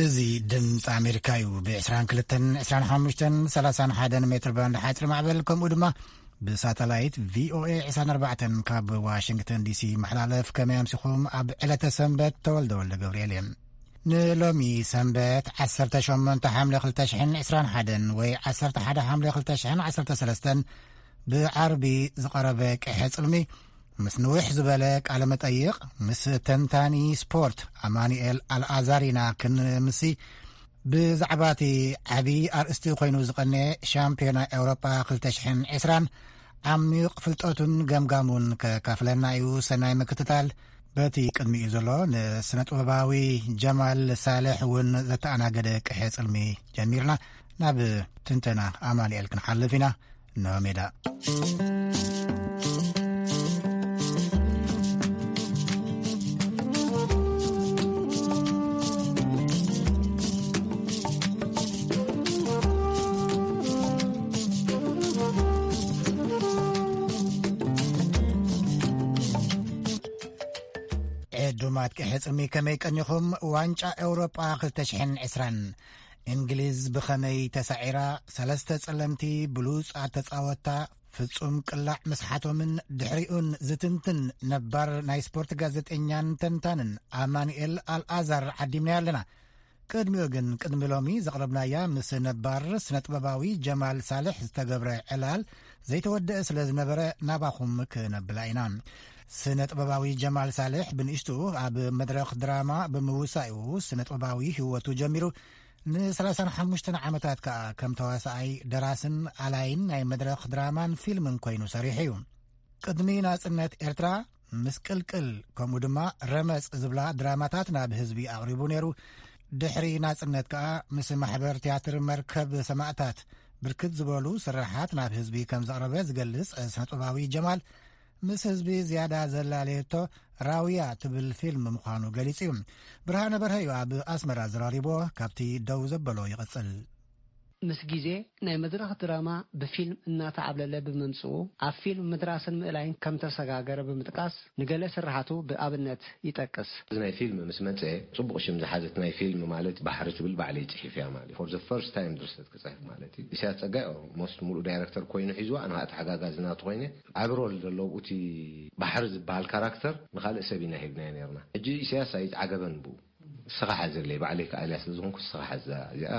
እዚ ድምፂ ኣሜሪካ እዩ። ብ22፣ 25፣ 31 ሜትር ባንድ ሓፂር ማዕበል፣ ከምኡ ድማ ብሳተላይት ቪኦኤ 24 ካብ ዋሽንግተን ዲሲ ይመሓላለፍ። ከመይ ኣምሲኹም? ኣብ ዕለተ ሰንበት ተወልደ ወልደ ገብርኤል እየ። ንሎሚ ሰንበት 18 ሓምለ 2021 ወይ 11 ሓምለ 2013 ብዓርቢ ዝቐረበ ቅሐ ጽልሚ ምስ ንውሕ ዝበለ ቃለ መጠይቕ ምስ ተንታኒ ስፖርት ኣማኑኤል ኣልኣዛር ኢና ክንምሲ። ብዛዕባ እቲ ዓቢ ኣርእስቲ ኮይኑ ዝቐነ ሻምፒዮና ኤውሮጳ 2020 ዓሚቕ ፍልጠቱን ገምጋሙን ከካፍለና እዩ። ሰናይ ምክትታል። በቲ ቅድሚኡ ዘሎ ንስነ ጥበባዊ ጀማል ሳልሕ እውን ዘተኣናገደ ቅሐ ጽልሚ ጀሚርና። ናብ ትንተና ኣማኑኤል ክንሓልፍ ኢና። እንሆ ሜዳ። ዕዱማት ቅሐ ጽልሚ ከመይ ቀኒኹም? ዋንጫ ኤውሮጳ 2020 እንግሊዝ ብኸመይ ተሳዒራ? ሰለስተ ጸለምቲ ብሉጻት ተጻወታ ፍጹም ቅላዕ ምስሓቶምን ድሕሪኡን ዝትንትን ነባር ናይ ስፖርት ጋዜጠኛን ተንታንን ኣማኑኤል ኣልኣዛር ዓዲምና ኣለና። ቅድሚኡ ግን፣ ቅድሚ ሎሚ ዘቕረብናያ ምስ ነባር ስነ ጥበባዊ ጀማል ሳልሕ ዝተገብረ ዕላል ዘይተወደአ ስለ ዝነበረ፣ ናባኹም ክነብላ ኢና። ስነ ጥበባዊ ጀማል ሳልሕ ብንእሽቱ ኣብ መድረኽ ድራማ ብምውሳኡ ስነ ጥበባዊ ህይወቱ ጀሚሩ፣ ን35 ዓመታት ከኣ ከም ተዋሳኣይ፣ ደራስን ኣላይን ናይ መድረኽ ድራማን ፊልምን ኮይኑ ሰሪሑ እዩ። ቅድሚ ናጽነት ኤርትራ፣ ምስቅልቅል፣ ከምኡ ድማ ረመጽ ዝብላ ድራማታት ናብ ህዝቢ ኣቕሪቡ ነይሩ። ድሕሪ ናጽነት ከኣ ምስ ማሕበር ትያትር መርከብ ሰማእታት ብርክት ዝበሉ ስራሓት ናብ ህዝቢ ከም ዘቕረበ ዝገልጽ ስነጥበባዊ ጀማል፣ ምስ ህዝቢ ዝያዳ ዘላለየቶ ራውያ ትብል ፊልም ምዃኑ ገሊጹ እዩ። ብርሃነ በርሀ እዩ ኣብ ኣስመራ ዘራሪቦ። ካብቲ ደው ዘበሎ ይቕጽል። ምስ ግዜ ናይ መድረኽ ድራማ ብፊልም እናተዓብለለ ብምምጽኡ፣ ኣብ ፊልም ምድራስን ምእላይን ከም ተሰጋገረ ብምጥቃስ፣ ንገለ ስርሓቱ ብኣብነት ይጠቅስ። እዚ ናይ ፊልም ምስ መጸ፣ ጽቡቕ ሽም ዝሓዘት ናይ ፊልም፣ ማለት ባሕሪ ትብል፣ ባዕለይ ጽሒፍያ ማለት እዩ። For the first time ድርሰት ክጽሕፍ ማለት እዩ። ኢሳያስ ጸጋይ ኦልሞስት ሙሉእ ዳይረክተር ኮይኑ ሒዝዋ፣ ኣነ ከዓ ተሓጋጋዚ ናቱ ኮይነ፣ ዓቢ ሮል ዘለዎ እቲ ባሕሪ ዝበሃል ካራክተር ንኻልእ ሰብ ኢና ሂብናዮ ነርና። ሕጂ ኢሳያስ ኣይዓገበን ብኡ። ንስኻ ሓዘለይ፣ ባዕለይ ክኣልያ ስለ ዝኾንኩ ንስኻ ሓዛ። እዚኣ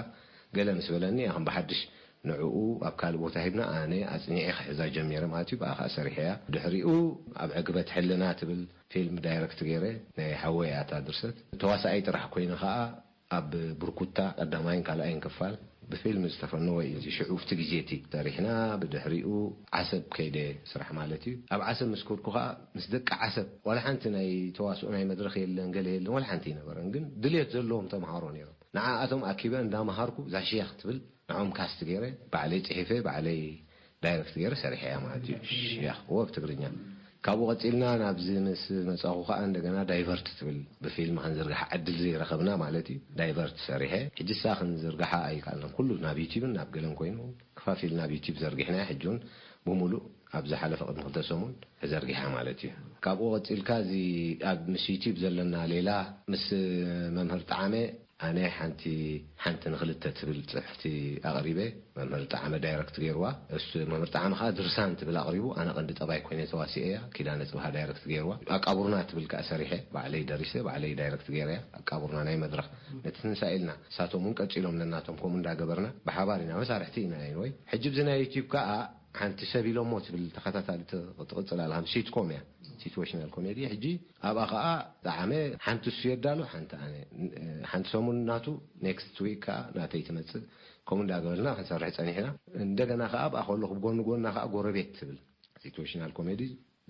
ገለ ምስ በለኒ፣ እያ ከም ብሓድሽ ንዕኡ ኣብ ካልእ ቦታ ሂብና፣ ኣነ ኣጽኒዐ ክሕዛ ጀሚረ ማለት እዩ። ብኣ ኸኣ ሰሪሐያ። ድሕሪኡ ኣብ ዕግበት ሕልና ትብል ፊልም ዳይረክት ገይረ፣ ናይ ሓወይ እያ እታ ድርሰት። ተዋሳኣይ ጥራሕ ኮይነ ኸኣ ኣብ ብርኩታ ቀዳማይን ካልኣይን ክፋል ብፊልም ዝተፈነወ እዩ። እዚ ሽዑ ኣብቲ ግዜ እቲ ሰሪሕና፣ ብድሕሪኡ ዓሰብ ከይደ ስራሕ ማለት እዩ። ኣብ ዓሰብ ምስ ከድኩ ኸኣ ምስ ደቂ ዓሰብ ዋላ ሓንቲ ናይ ተዋስኦ ናይ መድረኽ የለን፣ ገለ የለን፣ ዋላ ሓንቲ ኣይነበረን። ግን ድልየት ዘለዎም ተምሃሮ ነይሮም። ንዓኣቶም ኣኪበ እንዳምሃርኩ እዛ ሸያኽ ትብል ንዖም ካስት ገይረ፣ ባዕለይ ጽሒፈ፣ ባዕለይ ዳይረክት ገይረ ሰሪሐያ ማለት እዩ። ሽያኽ እዎ ብትግርኛ። ካብኡ ቀጺልና ናብዚ ምስ መጻኹ ከኣ እንደገና ዳይቨርት ትብል ብፊልም ክንዝርግሓ ዕድል ዘይረኸብና ማለት እዩ። ዳይቨርት ሰሪሐ። ሕጂ እሳ ክንዝርግሓ ኣይከኣልናን። ኩሉ ናብ ዩቲብን ናብ ገለን ኮይኑ ከፋፊልና ኣብ ዩቲብ ዘርጊሕናያ። ሕጂ እውን ብምሉእ ኣብ ዝሓለፈ ቅድሚ ክልተ ሰሙን ተዘርጊሓ ማለት እዩ። ካብኡ ቀጺልካ እዚ ኣብ ምስ ዩቲብ ዘለና ሌላ ምስ መምህር ጣዕመ ኣነ ሓንቲ ሓንቲ ንኽልተ ትብል ጽሕፍቲ ኣቕሪበ። መምህር ጣዕመ ዳይረክት ገይርዋ። እሱ መምህር ጣዕመ ከኣ ድርሳን ትብል ኣቕሪቡ። ኣነ ቀንዲ ጠባይ ኮይነ ተዋሲኤያ። ኪዳነ ጽብሃ ዳይረክት ገይርዋ። ኣቃቡርና ትብል ከኣ ሰሪሐ። ባዕለይ ደሪሰ፣ ባዕለይ ዳይረክት ገይረያ። ኣቃቡርና ናይ መድረኽ ነቲ ትንሳኤ ኢልና፣ ንሳቶም እውን ቀጺሎም ነናቶም ከምኡ እንዳገበርና ብሓባር ኢና መሳርሕቲ ኢና። ኤኒወይ፣ ሕጂ ብዚ ናይ ዩቲዩብ ከኣ ሓንቲ ሰብ ኢሎሞ ትብል ተኸታታሊ ት-፣ ትቕጽል ኣላ። ከም ሲትኮም እያ፣ ሲትዌሽናል ኮሜዲ። ሕጂ ኣብኣ ከኣ ጣዕመ ሓንቲ እሱ የዳሉ፣ ሓንቲ ኣነ። ሓንቲ ሰሙን ናቱ፣ ኔክስት ዊክ ከኣ ናተይ ትመጽእ። ከምኡ እንዳገበልና ክንሰርሕ ጸኒሕና። እንደገና ከኣ ኣብኣ ከለኹ ብጎኒ ጎና ከኣ ጎረቤት ትብል ሲትዌሽናል ኮሜዲ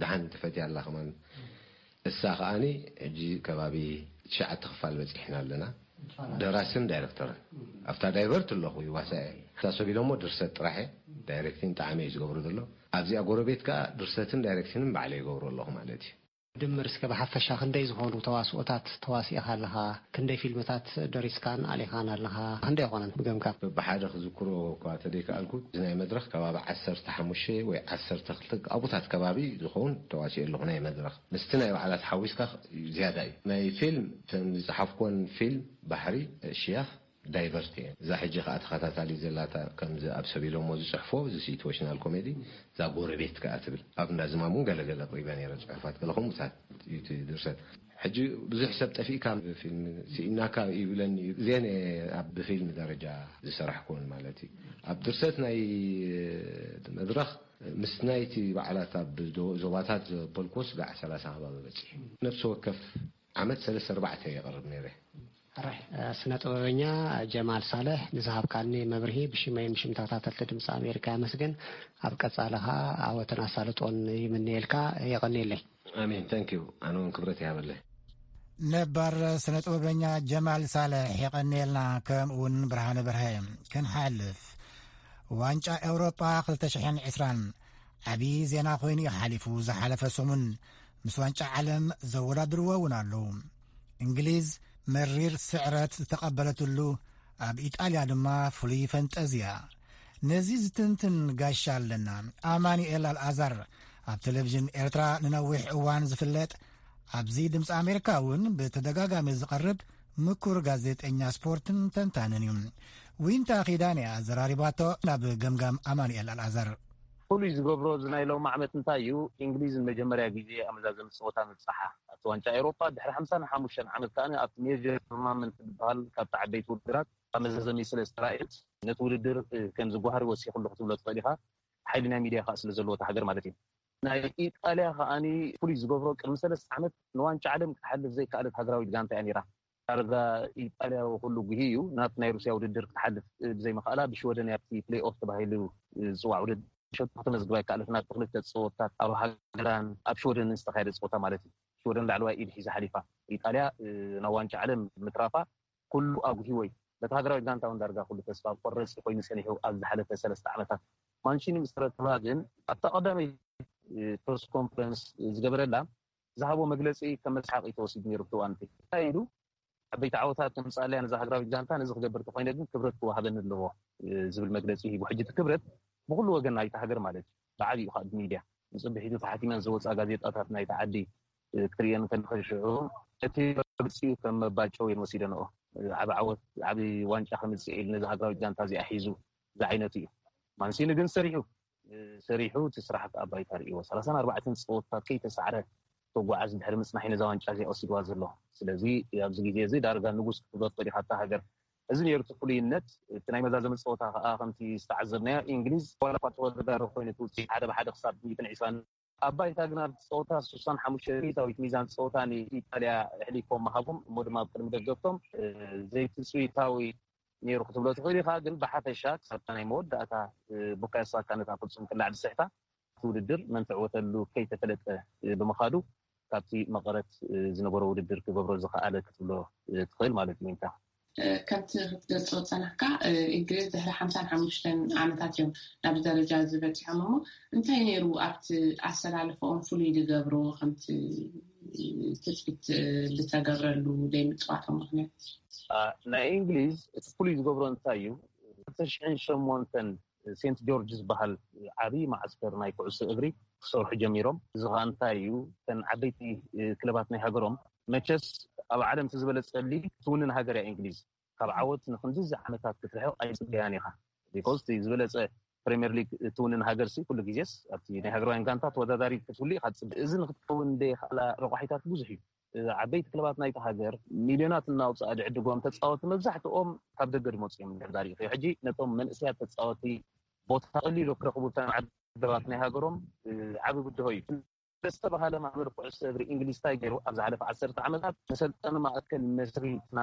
ደሓን ትፈትያ ኣላ ከማን። እሳ ከኣኒ ሕጂ ከባቢ ትሽዓተ ክፋል በጺሕና ኣለና። ደራስን ዳይረክተርን። ኣብታ ዳይቨርት ኣለኹ ይዋሳእ እየ። እታ ሰብ ኢሎሞ ድርሰት ጥራሕ እየ። ዳይሬክቲን ጣዕመ እዩ ዝገብሮ ዘሎ። ኣብዚኣ ጎረቤት ከኣ ድርሰትን ዳይሬክቲንን ባዕለ ይገብሮ ኣለኹ ማለት እዩ። ድምር እስከ ብሓፈሻ ክንደይ ዝኾኑ ተዋስኦታት ተዋሲእኻ ኣለኻ? ክንደይ ፊልምታት ደሪስካን ኣሊኻን ኣለኻ? ክንደይ ይኾነን ብገምጋም? ብሓደ ክዝክሮ እኳ ተደይከኣልኩ፣ እዚ ናይ መድረኽ ከባቢ ዓሰርተ ሓሙሽተ ወይ ዓሰርተ ክልተ ኣብታት ከባቢ ዝኸውን ተዋሲኦ ኣለኹ። ናይ መድረኽ ምስቲ ናይ በዓላት ሓዊስካ ዝያዳ እዩ። ናይ ፊልም፣ እተን ዝጸሓፍኩወን ፊልም ባሕሪ፣ ሽያኽ፣ ዳይቨርት እየን። እዛ ሕጂ ከኣ ተኸታታሊ ዘላታ፣ ከምዚ ኣብ ሰብ ኢሎሞ ዝጽሕፎ፣ እዚ ሲትዌሽናል ኮሜዲ፣ እዛ ጎረቤት ከኣ ትብል። ኣብ እንዳ ዝማም እውን ገለገለ ኣቕሪበ ነይረ፣ ጽሑፋት ገለ ከምኡታት እዩ እቲ ድርሰት። ሕጂ ብዙሕ ሰብ ጠፊእካ ፊልም ስኢናካ ይብለኒ እዩ። እዚአን እየ ኣብ ብፊልም ደረጃ ዝሰራሕኩወን ማለት እዩ። ኣብ ድርሰት ናይ መድረኽ፣ ምስ ናይቲ በዓላት ኣብ ዞባታት ዘበልኩስ ጋዕ ሰላሳ ከባቢ በጺሑ። ነፍሲ ወከፍ ዓመት ሰለስተ ኣርባዕተ የቕርብ ነይረ። ሕራይ፣ ስነ ጥበበኛ ጀማል ሳልሕ፣ ንዝሃብካኒ መብርሂ ብሽመይን ብሽም ተኸታተልቲ ድምፂ ኣሜሪካ የመስግን። ኣብ ቀፃሊ ኸዓ ዓወትን ኣሳልጦን ይምነየልካ። የቐንየለይ። ኣሜን። ታንክ ዩ። ኣነ እውን ክብረት ይሃበለይ። ነባር ስነ ጥበበኛ ጀማል ሳልሕ የቐንየልና፣ ከምኡ እውን ብርሃነ በርሀ። ክንሓልፍ፣ ዋንጫ ኤውሮጳ ክልተ ሽሕን ዕስራን ዓብዪ ዜና ኮይኑ እዩ ሓሊፉ ዝሓለፈ ሰሙን። ምስ ዋንጫ ዓለም ዘወዳድርዎ እውን ኣለዉ። እንግሊዝ መሪር ስዕረት ዝተቐበለትሉ፣ ኣብ ኢጣልያ ድማ ፍሉይ ፈንጠዝያ። ነዚ ዝትንትን ጋሻ ኣለና። ኣማኑኤል ኣልኣዛር፣ ኣብ ቴሌቪዥን ኤርትራ ንነዊሕ እዋን ዝፍለጥ፣ ኣብዚ ድምፂ ኣሜሪካ እውን ብተደጋጋሚ ዝቐርብ ምኩር ጋዜጠኛ ስፖርትን ተንታንን እዩ። ዊንታ ኺዳን እያ ኣዘራሪባቶ ናብ ገምጋም ኣማኑኤል ኣልኣዛር። ፍሉይ ዝገብሮ እዚ ናይ ሎሚ ዓመት እንታይ እዩ? እንግሊዝ ንመጀመርያ ግዜ ኣብ መዛዘሚ ፀወታ ምብፃሓ ኣብቲ ዋንጫ ኤውሮጳ ድሕሪ ሓምሳን ሓሙሽተን ዓመት ከኣ ኣብቲ ሜጀር ቱርናመንት ዝበሃል ካብቲ ዓበይቲ ውድድራት ኣብ መዛዘሚ ስለ ዝተራእየት ነቲ ውድድር ከም ዝጓሃር ወሲኹ ኣለኹ ክትብሎ ትኽእል ኢኻ። ሓይሊ ናይ ሚድያ ከኣ ስለ ዘለዎ እታ ሃገር ማለት እዩ። ናይ ኢጣልያ ከኣ ፍሉይ ዝገብሮ ቅድሚ ሰለስተ ዓመት ንዋንጫ ዓለም ክትሓልፍ ዘይከኣለት ሃገራዊት ጋንታ እያ ነይራ። ዳርጋ ኢጣልያ ኩሉ ጉሂ እዩ ናብቲ ናይ ሩስያ ውድድር ክትሓልፍ ብዘይምኽኣላ ብሽወደን ኣብቲ ፕሌይ ኦፍ ተባሂሉ ዝፅዋዕ ውድድር ሸቶ ከተመዝግብ ኣይከኣለትን። ኣብቲ ክልተ ፀወታት ኣብ ሃገራን ኣብ ሽወደንን ዝተኻየደ ፀወታ ማለት እዩ። ሽወደን ላዕለዋይ ኢድ ሒዛ ሓሊፋ። ኢጣልያ ናብ ዋንጫ ዓለም ምትራፋ ኩሉ ኣጉሂዎ እዩ። በቲ ሃገራዊት ጋንታ እውን ዳርጋ ኩሉ ተስፋ ቆረፂ ኮይኑ ፀኒሑ ኣብ ዝሓለፈ ሰለስተ ዓመታት። ማንቺኒ ምስ ተረከባ ግን ኣብታ ቀዳመይቲ ፕረስ ኮንፈረንስ ዝገበረላ ዝሃቦ መግለፂ ከም መስሓቂ ተወሲዱ ነይሩ። ብትዋንቲ እንታይ ኢሉ? ዓበይቲ ዓወታት ከምፅኣለያ ነዛ ሃገራዊት ጋንታ፣ ነዚ ክገብር ተኮይነ ግን ክብረት ክወሃበኒ ኣለዎ ዝብል መግለፂ ሂቡ። ሕጂ እቲ ክብረት ብኩሉ ወገን ናይቲ ሃገር ማለት እዩ። ብዓብዩ ከዓ ብሚድያ ንፅብሒቱ ተሓቲመን ዝወፃ ጋዜጣታት ናይቲ ዓዲ ክትርእየን ከለካ ሽዑ እቲ መግለፂኡ ከም መባጨው እየን ወሲደንኦ። ዓቢ ዓወት ዓቢ ዋንጫ ከምፅእ ኢሉ ነዚ ሃገራዊት ጋንታ እዚኣ ሒዙ ዝዓይነቱ እዩ። ማንሲኒ ግን ሰሪሑ ሰሪሑ እቲ ስራሕ ከዓ ባይታ ርእይዎ ሰላሳን ኣርባዕተን ፀወታት ከይተሳዕረ ተጓዓዝ ድሕሪ ምፅናሕ እዩ ነዛ ዋንጫ እዚኣ ወሲድዋ ዘሎ። ስለዚ ኣብዚ ግዜ እዚ ዳርጋ ንጉስ ክትብሎ ትኽእል ኢኻ እታ ሃገር። እዚ ነይሩ እቲ ፍሉይነት። እቲ ናይ መዛዘሚ ፀወታ ከዓ ከምቲ ዝተዓዘብናዮ እንግሊዝ ዋላ እኳ ተወዳዳሪ ኮይኑ እቲ ውፅኢት ሓደ ብሓደ ክሳብ ሚእትን ዕስራን ኣብ ባይታ ግን ኣብቲ ፀወታ ስሳን ሓሙሽተ ሚእታዊት ሚዛን ፀወታ ንኢጣልያ ኣሕሊፎም ምሃቦም እሞ ድማ ኣብ ቅድሚ ደገፍቶም ዘይትፅቢታዊ ነይሩ ክትብሎ ትኽእል ኢኻ። ግን ብሓፈሻ ክሳብታ ናይ መወዳእታ ቡካዮ ሳካ ነታ ፍፁም ቅላዕ ዝስሕታ እቲ ውድድር መን ትዕወተሉ ከይተፈለጠ ብምኻዱ ካብቲ መቐረት ዝነበሮ ውድድር ክገብሮ ዝኸኣለ ክትብሎ ትኽእል ማለት እዩ። ዊንታ። ከምቲ ክትገልፆ ዝፀናሕካ እንግሊዝ ድሕሪ ሓምሳን ሓሙሽተን ዓመታት እዮም ናብዚ ደረጃ እዚ በፂሖም እሞ እንታይ ነይሩ ኣብቲ ኣሰላልፈኦም ፍሉይ ዝገብሮ ከምቲ ትፅቢት ዝተገብረሉ ዘይምፅዋቶም ምክንያት? ናይ እንግሊዝ እቲ ፍሉይ ዝገብሮ እንታይ እዩ? ክልተ ሽሕን ሸሞንተን ሴንት ጆርጅ ዝበሃል ዓብዪ መዓስከር ናይ ኩዕሶ እግሪ ክሰርሑ ጀሚሮም። እዚ ከዓ እንታይ እዩ? እተን ዓበይቲ ክለባት ናይ ሃገሮም መቸስ ኣብ ዓለም እቲ ዝበለፀ ሊግ ትውንን ሃገር እያ እንግሊዝ። ካብ ዓወት ንክንድዚ ዓመታት ክትርሕቕ ኣይፅበያን ኢኻ። ቢኮዝ እቲ ዝበለፀ ፕሪምየር ሊግ ትውንን ሃገር ሲ ኩሉ ግዜስ ኣብቲ ናይ ሃገራውያን ጋንታ ተወዳዳሪ ክትህሉ ኢኻ ትፅበ። እዚ ንክትከውን ዘይኽኣላ ረቋሒታት ብዙሕ እዩ። ዓበይቲ ክለባት ናይቲ ሃገር ሚልዮናት እናውፅኣ ዝዕድጎም ተፃወቲ መብዛሕትኦም ካብ ደገ ዝመፁ እዮም። እንድሕር ዳሪእኽዮ ሕጂ ነቶም መንእሰያት ተፃወቲ ቦታ ቀሊሎ ክረኽቡ እተን ዓደባት ናይ ሃገሮም ዓቢ ብድሆ እዩ። ዝተባሃለ ማሕበር ኩዕሶ እግሪ እንግሊዝ እንታይ ገይሩ ኣብ ዝሓለፈ ዓሰርተ ዓመታት መሰልጠኒ ማእከል መስሪትና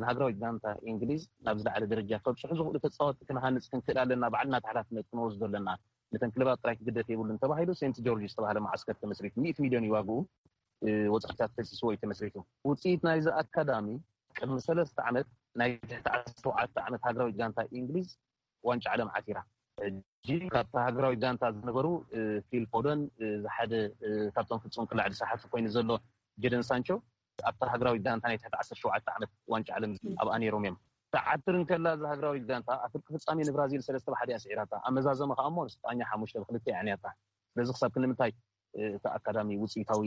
ንሃገራዊት ጋንታ እንግሊዝ ናብ ዝለዓለ ደረጃ ከብፅሑ ዝኽእሉ ተፃወቲ ክንሃንፅ ክንክእል ኣለና፣ ባዕልና እቲ ሓላፍነት ክንወስዶ ኣለና፣ ነተን ክለባት ጥራይ ክግደፍ የብሉን ተባሂሉ ሴንት ጆርጅ ዝተባሃለ መዓስከር ተመስሪቱ ሚእቲ ሚልዮን እዩ ዋግኡ። ወፃኢታት ፈሲስዎ እዩ ተመስሪቱ። ውፅኢት ናይዚ ኣካዳሚ ቅድሚ ሰለስተ ዓመት ናይ ትሕቲ ዓሰርተ ሸውዓተ ዓመት ሃገራዊት ጋንታ እንግሊዝ ዋንጫ ዓለም ዓቲራ። ሕጂ ካብታ ሃገራዊት ጋንታ ዝነበሩ ፊል ፎደን ሓደ ካብቶም ፍጹም ቅላዕ ዝሰሓቱ ኮይኑ ዘሎ ጀደን ሳንቾ ኣብታ ሃገራዊት ጋንታ ናይ ትሕቲ ዓሰርተ ሸውዓተ ዓመት ዋንጫ ዓለም ኣብኣ ነይሮም እዮም። ትዓትር እንከላ እዛ ሃገራዊት ጋንታ ኣብ ፍርቂ ፍጻሜ ንብራዚል ሰለስተ ብሓደ እያ ስዒራታ። ኣብ መዛዘመ ከኣ እሞ ንስጳኛ ሓሙሽተ ብክልተ እያ ኣዕንያታ። ስለዚ ክሳብ ክንምንታይ እቲ ኣካዳሚ ውፅኢታዊ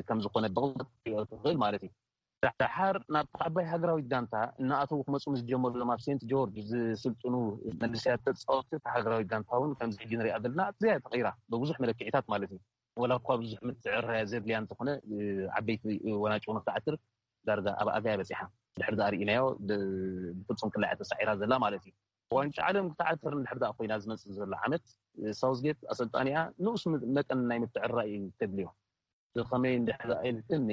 ከም ዝኾነ ብቕልጡፍ ክትሪኦ ትኽእል ማለት እዩ። ደሓር ናብታ ዓባይ ሃገራዊት ጋንታ እናኣተዉ ክመፁ ምስ ጀመሩ እዞም ኣብ ሴንት ጆርጅ ዝስልጥኑ መንእሰያት ተፃወትቲ እታ ሃገራዊት ጋንታ እውን ከምዚ ሕጂ ንሪኣ ዘለና ኣዝያ ተቐይራ ብብዙሕ መለክዒታት ማለት እዩ። ወላ እኳ ብዙሕ ምትዕርራይ ዘድልያ እንተኾነ ዓበይቲ ወናጭ እውን ክትዓትር ዳርጋ ኣብ ኣጋያ በፂሓ ድሕሪ ዳኣ ርኢናዮ ብፍፁም ቅላዕ ተሳዒራ ዘላ ማለት እዩ። ዋንጫ ዓለም ክትዓትር እንድሕር ዳኣ ኮይና ዝመፅእ ዘሎ ዓመት ሳውዝጌት ኣሰልጣኒኣ ንኡስ መጠን ናይ ምትዕርራይ እዩ ተድልዮ። ብኸመይ እንድሕር ኢልክኒ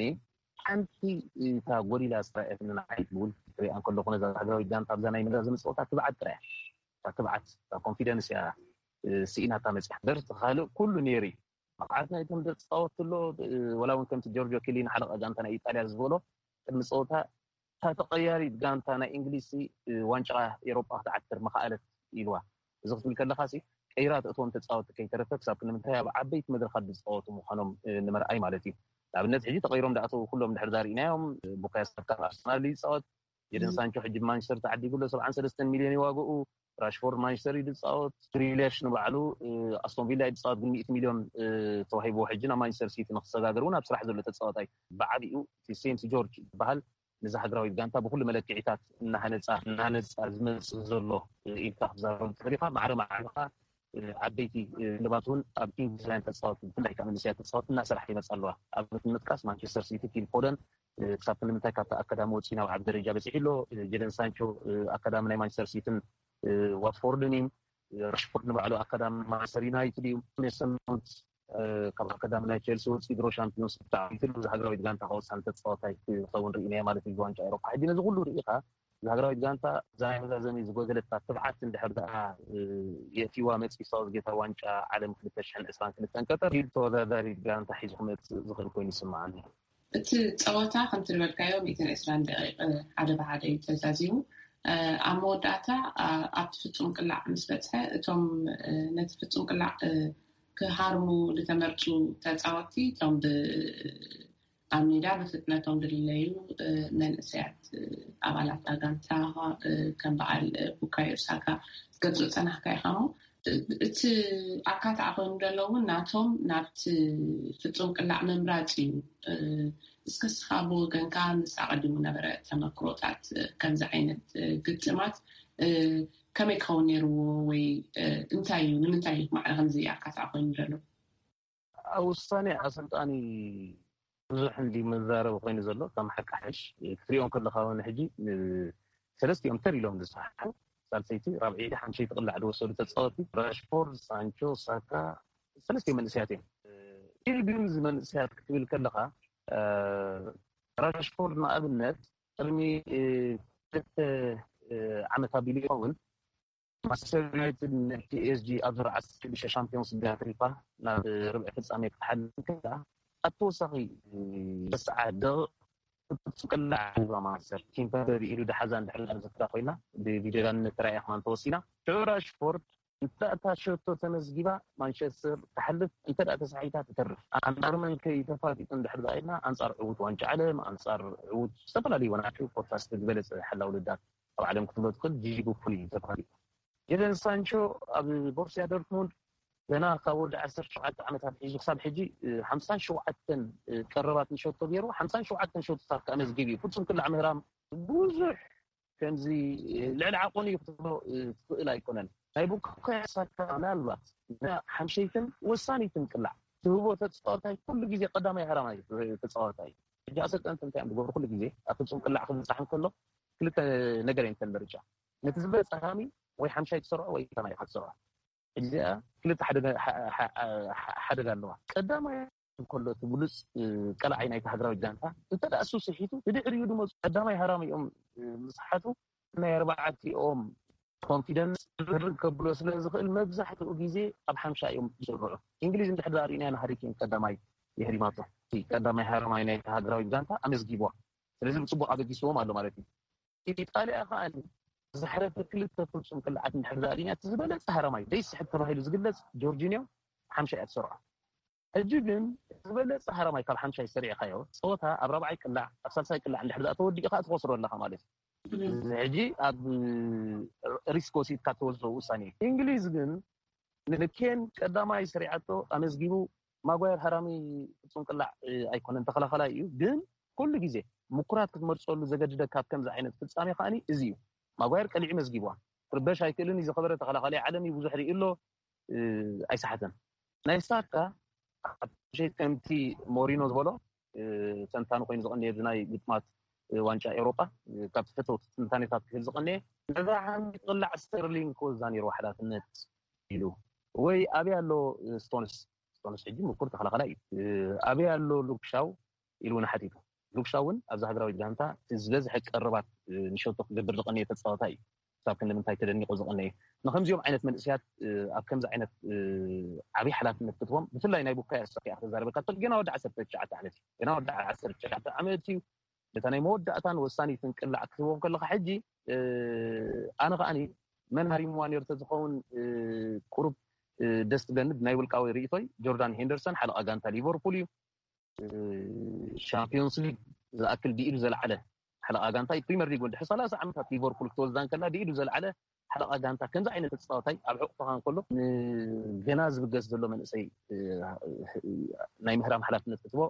ሓንቲ እታ ጎዲላ ዝረኣየትኒ ንዓይ ብውልቂ ክሪኣ እንከለኹ ነዛ ሃገራዊት ጋንታ ኣብዛ ናይ መዛዘሚ ፀወታ ትብዓት ጥራይ እያ። እታ ትብዓት እታ ኮንፊደንስ እያ ስኢናታ መፅያ። ደርቲ ካልእ ኩሉ ነይሩ እዩ። ብቕዓት ናይቶም ተፃወትቲ ኣሎ። ወላ እውን ከምቲ ጆርጆ ኪሊኒ ሓለቓ ጋንታ ናይ ኢጣልያ ዝበሎ ቅድሚ ፀወታ እታ ተቐያሪት ጋንታ ናይ እንግሊዝ ዋንጫ ኤሮጳ ክትዓትር ምኽኣለት ኢልዋ። እዚ ክትብል ከለኻ ቀይራ ተእትዎም ተፃወትቲ ከይተረፈ ክሳብ ክንምንታይ ኣብ ዓበይቲ መድረኻት ዝፃወቱ ምዃኖም ንምርኣይ ማለት እዩ። ንኣብነት ሕጂ ተቐይሮም ዳኣተው ኩሎም ድሕር ዳርኢናዮም። ቡካዮ ሳካ ኣርሰናል ይፃወት፣ ጀደን ሳንቾ ሕጂ ማንቸስተር ተዓዲጉ ኣሎ ሰብዓን ሰለስተን ሚልዮን ይዋግኡ። ራሽፎርድ ማንቸስተር እዩ ዝፃወት፣ ግሪሊሽ ንባዕሉ ኣስቶን ቪላ እዩ ዝፃወት ግን ሚእቲ ሚልዮን ተዋሂብዎ ሕጂ ናብ ማንቸስተር ሲቲ ንክሰጋገር እውን ኣብ ስራሕ ዘሎ ተፃወታይ። ብዓቢኡ እቲ ሴንት ጆርጅ ዝበሃል ንዛ ሃገራዊት ጋንታ ብኩሉ መለክዒታት እናሃነፃ እናሃነፃ ዝመፅእ ዘሎ ኢልካ ክትዛረብ ትኽእል ኢኻ። ማዕረ ማዕረ ዓበይቲ ክለባት እውን ኣብ እንግሊዛውያን ተፃወትቲ ብፍላይ ከዓ መንእሰያት ተፃወትቲ እናሰርሓ ይመፃ ኣለዋ። ኣብነት ንምጥቃስ ማንቸስተር ሲቲ ፊል ፎደን ክሳብ ክንምንታይ ካብቲ ኣካዳሚ ወፂኡ ናብ ዓቢ ደረጃ በፂሑ ኣሎ። ጀደን ሳንቾ ኣካዳሚ ናይ ማንቸስተር ሲትን ዋትፎርድን እዩ። ራሽፎርድ ንባዕሉ ኣካዳሚ ማንቸስተር ዩናይትድ እዩ። ሜሰን ማውንት ካብ ኣካዳሚ ናይ ቸልሲ ወፂኡ ድሮ ሻምፒዮንስ ብጣዕሚ ትልሉ ሃገራዊት ጋንታ ከወፅኣ ተፃዋታይ ክኸውን ርኢናዮ ማለት እዩ። ዋንጫ ኤሮፓ ሕጂ ነዚ ኩሉ ርኢኻ እዛ ሃገራዊት ጋንታ እዛ ናይ መዛዘሚ ዝጎደለታ ትብዓት እንድሕር ደኣ የእትዋ መፂ ሳውዝጌት ኣብ ዋንጫ ዓለም ክልተ ሽሕን ዕስራን ክልተን ቀጠር ኢድ ተወዳዳሪት ጋንታ ሒዙ ክመፅእ ዝኽእል ኮይኑ ይስምዓኒ። እቲ ፀወታ ከምቲ ዝበልካዮ ሚእትን ዕስራን ደቂቕ ሓደ ብሓደ እዩ ተዛዚሙ። ኣብ መወዳእታ ኣብቲ ፍፁም ቅላዕ ምስ በፅሐ እቶም ነቲ ፍፁም ቅላዕ ክሃርሙ ዝተመርፁ ተፃወትቲ እቶም ኣብ ሜዳ ብፍጥነቶም ዝልለዩ መንእሰያት ኣባላት ኣጋንታ ከም በዓል ቡካዮ ሳካ ክትገልፆ ዝፀናሕካ ኢኻ እሞ እቲ ኣካታዕ ኮይኑ ዘሎ እውን ናቶም ናብቲ ፍፁም ቅላዕ ምምራፅ እዩ። እስከ ስኻ ብወገንካ ምስ ኣቐዲሙ ነበረ ተመክሮታት ከምዚ ዓይነት ግጥማት ከመይ ክኸውን ነይርዎ ወይ እንታይ እዩ ንምንታይ እዩ ማዕረ ከምዚ ኣካታዕ ኮይኑ ዘሎ? ኣብ ውሳኔ ኣሰልጣኒ ብዙሕ እንዲ መዛረቢ ኮይኑ ዘሎ ከም ሓቂ ሓሽ ክትሪኦ ከለካ እውን ሕጂ ሰለስቲኦም ተር ኢሎም ዝሰሓሑ ሳልሰይቲ ራብዐይቲ ሓምሸይቲ ቅላዕ ዝወሰዱ ተፃወቲ ራሽፎርድ፣ ሳንቾ፣ ሳካ ሰለስቲኦም መንእሰያት እዮም። ኢሉ ግን እዚ መንእሰያት ክትብል ከለካ ራሽፎርድ ንኣብነት ቅድሚ ክልተ ዓመት ኣቢሉ ይኸውን ማንቸስተር ዩናይትድ ንፒኤስጂ ኣብ ዙር ዓሰርተ ሽዱሽተ ሻምፒዮንስ ሊግ ኣትሪፋ ናብ ርብዒ ፍጻሜ ክትሓልፍ እንከላ ኣብ ተወሳኺ ተስዓ ደቂቕ ፍጹም ቅላዕ ሂባ ማንቸስተር ኪምፐምበ ብኢዱ ደሓዛ እንድሕር ዝዝክራ ኮይና ብቪድዮ ዳንነት ተራእያ ከማን ተወሲና ሽዑ ራሽፎርድ እንተ እታ ሸቶ ተመዝጊባ ማንቸስተር ትሓልፍ እንተ ደኣ ተሳሒታ ትተርፍ ኣንጻር መን ከ ተፋጢጡ እንድሕር ኢልና ኣንጻር ዕዉት ዋንጫ ዓለም ኣንጻር ዕዉት ዝተፈላለዩ ወናቱ ኮታስ ዝበለጸ ሓላው ልዳት ኣብ ዓለም ክትብሎ ትኽእል ጂጂ ቡፎን እዩ ተባሂሉ። ጀደን ሳንቾ ኣብ ቦርሲያ ዶርትሙንድ ገና ካብ ወዲ ዓሰርተ ሸውዓተ ዓመታት ሒዙ ክሳብ ሕጂ ሓምሳን ሸውዓተን ቀረባት ንሸቶ ገይሩ ሓምሳን ሸውዓተን ሸቶታት ከኣ መዝጊብ እዩ። ፍጹም ክላዕ ምህራም ብዙሕ ከምዚ ልዕሊ ዓቆን እዩ ክትብሎ ትኽእል ኣይኮነን። ናይ ቡካዮ ሳካ ምናልባት ሓምሸይትን ወሳኒትን ቅላዕ ትህቦ ተፃወታይ ኩሉ ግዜ ቀዳማይ ሃራማይ ተፃወታይ ሕጂ ኣሰልጠንቲ እንታይ እዮም ዝገብሩ ኩሉ ግዜ ኣብ ፍፁም ቅላዕ ክብፃሕ እንከሎ ክልተ ነገር እየን ተን ምርጫ ነቲ ዝበፀ ሃሚ ወይ ሓምሻይ ትሰርዖ ወይ ቀዳማይ ኢኻ ትሰርዖ እዚኣ ክልተ ሓደጋ ኣለዋ ቀዳማይ እንከሎ እቲ ብሉፅ ቀላዓይ ናይቲ ሃገራዊት ጋንታ እንተ ደኣ እሱ ስሒቱ ብድሕሪኡ ዝመፁ ቀዳማይ ሃራሚ እዮም ዝሰሓቱ ናይ ኣርባዕቲኦም ኮንፊደንስ ርግ ከብሎ ስለ ዝኽእል መብዛሕትኡ ግዜ ኣብ ሓምሻ እዮም ዝስርዑ። እንግሊዝ እንድሕር ዳኣ ርኢናያ ንሃሪኬን ቀዳማይ የህሪማቶ እቲ ቀዳማይ ሃረማይ ናይ ሃገራዊት ጋንታ ኣመዝጊብዋ። ስለዚ ብፅቡቅ ኣበጊስዎም ኣሎ ማለት እዩ። ኢጣልያ ከኣ ዝሕረፈ ክልተ ፍጹም ቅላዓት እንድሕር ዳኣ ርኢና፣ እቲ ዝበለጸ ሃረማይ ዘይስሕብ ተባሂሉ ዝግለጽ ጆርጂንዮ ሓምሻይ እያ ትሰርዖ። ሕጂ ግን ዝበለጸ ሃረማይ ካብ ሓምሻይ ሰሪዕካዮ፣ ጸወታ ኣብ ራብዓይ ቅላዕ፣ ኣብ ሳልሳይ ቅላዕ እንድሕር ዳኣ ተወዲኡ ከኣ ትኸስሮ ኣለኻ ማለት እዩ። እዚ ሕጂ ኣብ ሪስክ ወሲድካ ትወስዶ ውሳኔ እዩ። እንግሊዝ ግን ንኬን ቀዳማይ ሰሪዓቶ ኣመዝጊቡ። ማጓየር ሃራሚ ፍጹም ቅላዕ ኣይኮነን፣ ተኸላኸላይ እዩ። ግን ኩሉ ግዜ ምኩራት ክትመርጸሉ ዘገድደካ ኣብ ከምዚ ዓይነት ፍጻሜ ከኣኒ እዚ እዩ። ማጓየር ቀሊዑ መዝጊብዋ። ክርበሽ ኣይክእልን እዩ፣ ዝኸበረ ተኸላኸላይ ዓለም እዩ፣ ብዙሕ ርኢ ኣሎ፣ ኣይሰሓተን። ናይ ሳካ ከምቲ ሞሪኖ ዝበሎ ተንታኒ ኮይኑ ዝቐንየ፣ እዚ ናይ ግጥማት ዋንጫ ኤውሮጳ፣ ካብቲ ፈተውቲ ትንታኔታት ክህብ ዝቐንየ፣ ነዛ ዓሚቕ ቅላዕ ስተርሊንግ ክወዛ ነይርዎ ሓላፍነት ኢሉ። ወይ ኣበይ ኣሎ ስቶንስ? ስቶንስ ሕጂ ምኩር ተኸላኸላይ እዩ። ኣበይ ኣሎ ሉክሻው ኢሉ እውን ሓቲቱ። ሉክሻው እውን ኣብዛ ሃገራዊት ጋንታ እቲ ዝበዝሐ ቀረባት ንሸቶ ክገብር ዝቐንየ ተጻዋታይ እዩ። ክሳብ ክንዲ ምንታይ ተደኒቑ ዝቐነየ። ንከምዚኦም ዓይነት መንእሰያት ኣብ ከምዚ ዓይነት ዓብዪ ሓላፍነት ክትቦም፣ ብፍላይ ናይ ቡካዮ ሳካ እያ ክዛረበካ፣ ገና ወዲ ዓሰርተ ትሽዓተ ዓመት እዩ። ገና ወዲ ዓሰርተ ትሽዓተ ዓመት እዩ። ነታ ናይ መወዳእታን ወሳኒትን ቅላዕ ክትቦም ከለኻ ሕጂ ኣነ ከኣኒ መን ሃሪምዋ ነይሩ ተዝኸውን ቁሩብ ደስ ትብለኒ። ብናይ ውልቃዊ ርእይቶይ ጆርዳን ሄንደርሰን ሓለቓ ጋንታ ሊቨርፑል እዩ። ሻምፒዮንስ ሊግ ዝኣክል ብኢዱ ዘልዓለ ሓለቓ ጋንታ እዩ። ፕሪምየር ሊግ እውን ድሕሪ ሰላሳ ዓመታት ሊቨርፑል ክትወስዳ እንከላ ብኢዱ ዘልዓለ ሓለቓ ጋንታ ከምዚ ዓይነት ተፃዋታይ ኣብ ሕቑፍኻ እንከሎ ንገና ዝብገስ ዘሎ መንእሰይ ናይ ምህራም ሓላፍነት ክትቦ